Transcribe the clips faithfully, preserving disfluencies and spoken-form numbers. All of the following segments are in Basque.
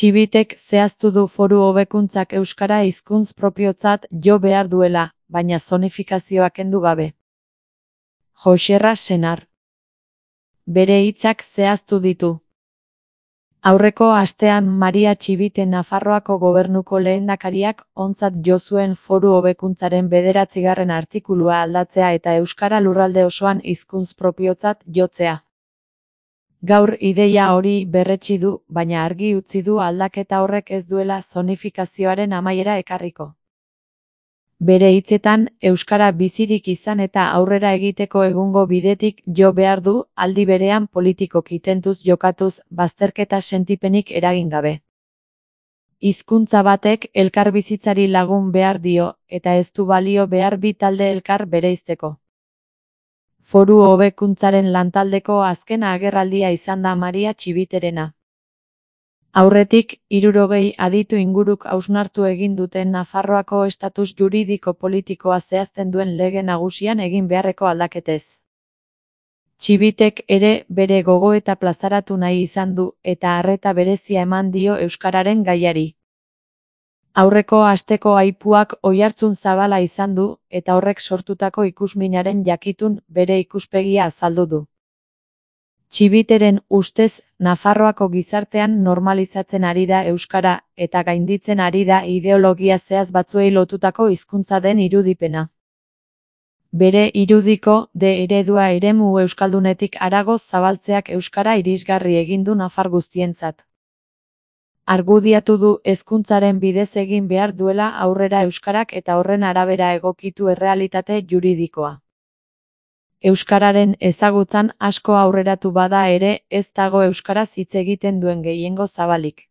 Txibitek zehaztu du foru hobekuntzak euskara hizkuntz propiotzat jo behar duela, baina zonifikazioa kendu gabe. Joxerra Senar. Bere hitzak zehaztu ditu. Aurreko astean Maria Txibite Nafarroako gobernuko lehendakariak ontzat jo zuen foru hobekuntzaren bederatzigarren artikulua aldatzea eta euskara lurralde osoan hizkuntz propiotzat jotzea. Gaur ideia hori berretsi du, baina argi utzi du aldaketa horrek ez duela zonifikazioaren amaiera ekarriko. Bere hitzetan, euskara bizirik izan eta aurrera egiteko egungo bidetik jo behar du, aldi berean politikoki tentuz jokatuz, bazterketa sentipenik eragin gabe. Hizkuntza batek elkarbizitzari lagun behar dio, eta ez du balio behar bi talde elkar bereizteko. Foru hobekuntzaren lantaldeko azken agerraldia izan da Maria Txibiterena. Aurretik, hirurogei aditu inguruk hausnartu egin duten Nafarroako estatus juridiko politikoa zehazten duen lege nagusian egin beharreko aldaketez. Txibitek ere bere gogoeta plazaratu nahi izan du, eta arreta berezia eman dio euskararen gaiari. Aurreko asteko aipuak oihartzun zabala izan du, eta horrek sortutako ikusminaren jakitun bere ikuspegia azaldu du. Txibiteren ustez, Nafarroako gizartean normalizatzen ari da euskara, eta gainditzen ari da ideologia zehaz batzuei lotutako hizkuntza den irudipena. Bere irudiko de eredua eremu euskaldunetik harago zabaltzeak euskara irisgarri egin du nafar guztientzat. Argudiatu du hezkuntzaren bidez egin behar duela aurrera euskarak eta horren arabera egokitu errealitate juridikoa. Euskararen ezagutzan asko aurreratu bada ere, ez dago euskaraz hitz egiten duen gehiengo zabalik.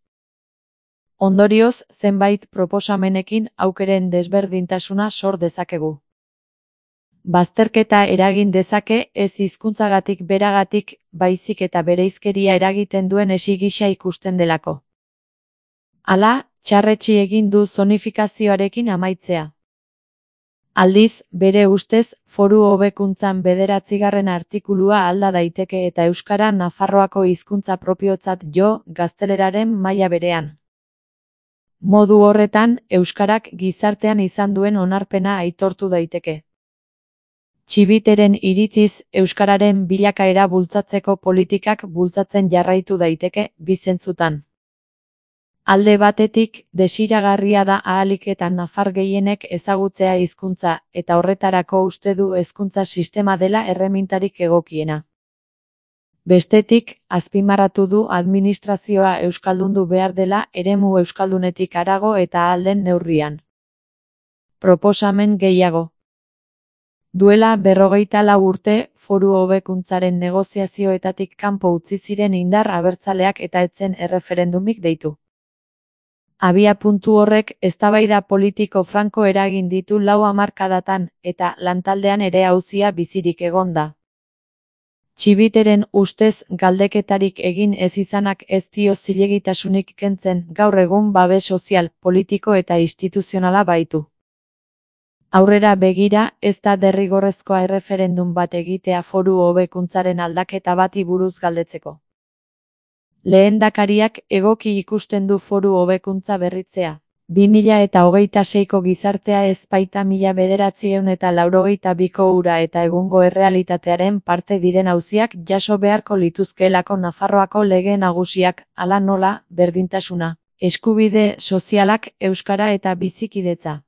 Ondorioz, zenbait proposamenekin aukeren desberdintasuna sor dezakegu. Bazterketa eragin dezake ez hizkuntzagatik beragatik, baizik eta bereizkeria eragiten duen esi gisa ikusten delako. Hala, txarretsi egin du zonifikazioarekin amaitzea. Aldiz, bere ustez, foru hobekuntzan bederatzigarren artikulua alda daiteke eta euskara Nafarroako hizkuntza propiotzat jo, gazteleraren maila berean. Modu horretan, euskarak gizartean izan duen onarpena aitortu daiteke. Txibiteren iritziz, euskararen bilakaera bultzatzeko politikak bultzatzen jarraitu daiteke, bi zentzutan. Alde batetik, desiragarria da ahalik eta nafar gehienek ezagutzea hizkuntza, eta horretarako uste du hezkuntza sistema dela erremintarik egokiena. Bestetik, azpimarratu du administrazioa euskaldundu behar dela eremu euskaldunetik harago eta ahal den neurrian. Proposamen gehiago. Duela berrogeita lau urte, foru hobekuntzaren negoziazioetatik kanpo utzi ziren indar abertzaleak eta etzen erreferendumik deitu. Abia puntu horrek eztabaida politiko franko eragin ditu lau hamarkadatan, eta lantaldean ere auzia bizirik egon da. Txibiteren ustez galdeketarik egin ez izanak ez dio zilegitasunik kentzen, gaur egun babes sozial, politiko eta instituzionala baitu. Aurrera begira, ez da derrigorrezkoa erreferendum bat egitea foru hobekuntzaren aldaketa bati buruz galdetzeko. Lehendakariak egoki ikusten du foru hobekuntza berritzea. bi mila eta hogeita seiko gizartea ez baita mila bederatziehun eta laurogeita biko hura eta egungo errealitatearen parte diren auziak jaso beharko lituzkeelako Nafarroako lege nagusiak, hala nola, berdintasuna, eskubide sozialak, euskara eta bizikidetza.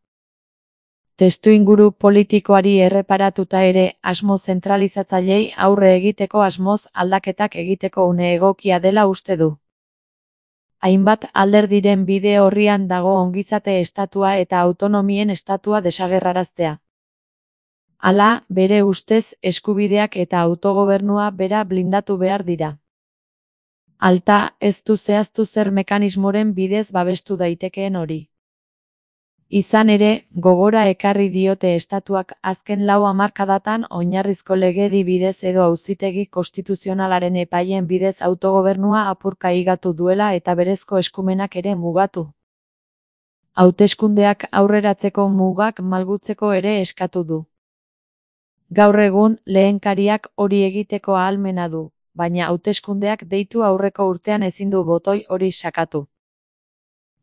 Testuinguru politikoari erreparatuta ere, asmo zentralizatzailei aurre egiteko asmoz aldaketak egiteko une egokia dela uste du. Hainbat alderdiren bide horrian dago ongizate estatua eta autonomien estatua desagerraraztea. Hala, bere ustez eskubideak eta autogobernua bera blindatu behar dira. Alta, ez du zehaztu zer mekanismoren bidez babestu daitekeen hori. Izan ere, gogora ekarri diote estatuak azken lau hamarkadatan oinarrizko legedi bidez edo auzitegi konstituzionalaren epaien bidez autogobernua apurka higatu duela eta berezko eskumenak ere mugatu. Hauteskundeak aurreratzeko mugak malgutzeko ere eskatu du. Gaur egun, lehenkariak hori egiteko ahalmena du, baina hauteskundeak deitu aurreko urtean ezin du botoi hori sakatu.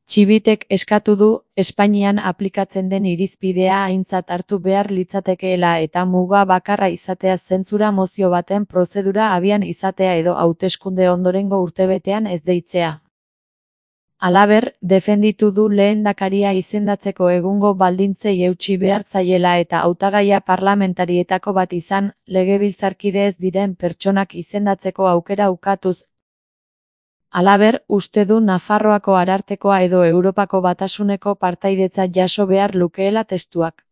Txibitek eskatu du, Espainian aplikatzen den irizpidea aintzat hartu behar litzatekeela eta muga bakarra izatea zentsura mozio baten prozedura abian izatea edo hauteskunde ondorengo urtebetean ez deitzea. Halaber, defenditu du lehendakaria izendatzeko egungo baldintzei eutsi behar zaiela eta hautagaia parlamentarietako bat izan, legebiltzarkide ez diren pertsonak izendatzeko aukera ukatuz. Halaber, uste du Nafarroako Arartekoa edo Europako Batasuneko partaidetza jaso behar lukeela testuak.